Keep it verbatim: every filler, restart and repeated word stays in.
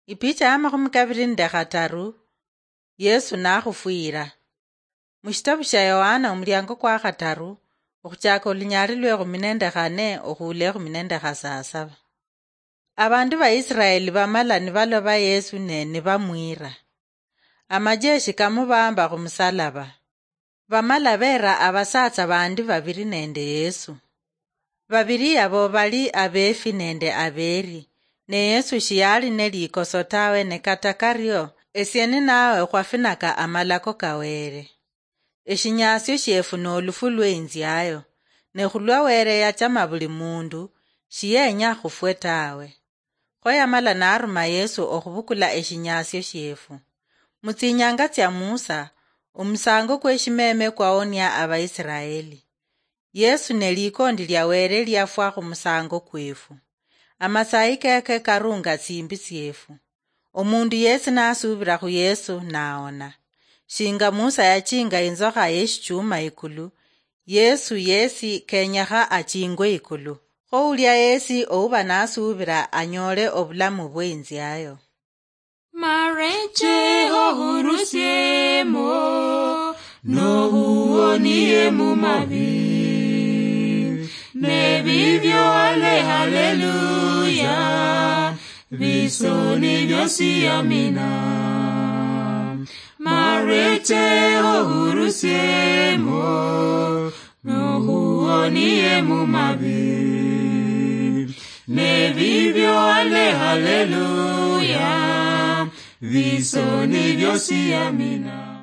Ipicha ya makhumi kabiri nende khataru. Yesu nakhufwira. Mushitabu shia Yohana omuliango kwa khataru, okhuchaka olunyali lwekhumi nende khane okhuula ekhumi nende khasasaba. Abandu ba Israeli bamala nibaloba Yesu ne nibamwira. Amajeshi kamubamba khumusalaba. Bamala beera abasatsa bandi babiri nende Yesu. Babiri yabo bali abeefi nende abeeri, ne Yesu shiyali ne likoso tawe, ne kata kario, esie ninawe khwafinaka amalako ka Wele. Eshinyasio shiefu nolufu lweinziayo, ne khulwa Wele yachama buli mundu, shiyenya khufwe tawe. Kho yamala naruma Yesu okhubukula eshinyasio shiefu. Mutsinyanga tsia Musa, omusango kweshimeme kwawonia Abaisiraeli. Yesu ne likondi lia Wele liafwa khumusango kwefu. Amasayi keke karunga tsimbi tsiefu. Omundu yesi nasubira khu Yesu naona. Shinga Musa yachinga inzokha yeshichuma ikulu, Yesu yesi kenyekha achingwe ikulu. Kho ulia yesi ouba nasubira anyole obulamu bweinziayo. Mareche ohurusiemo, nohuonie mumabi. Nebibyo ale haleluya, bisoni byosi amina. Mareche ohurusiemo, nohuonie mumabi. Nebibyo ale haleluya, bisoni byosi amina.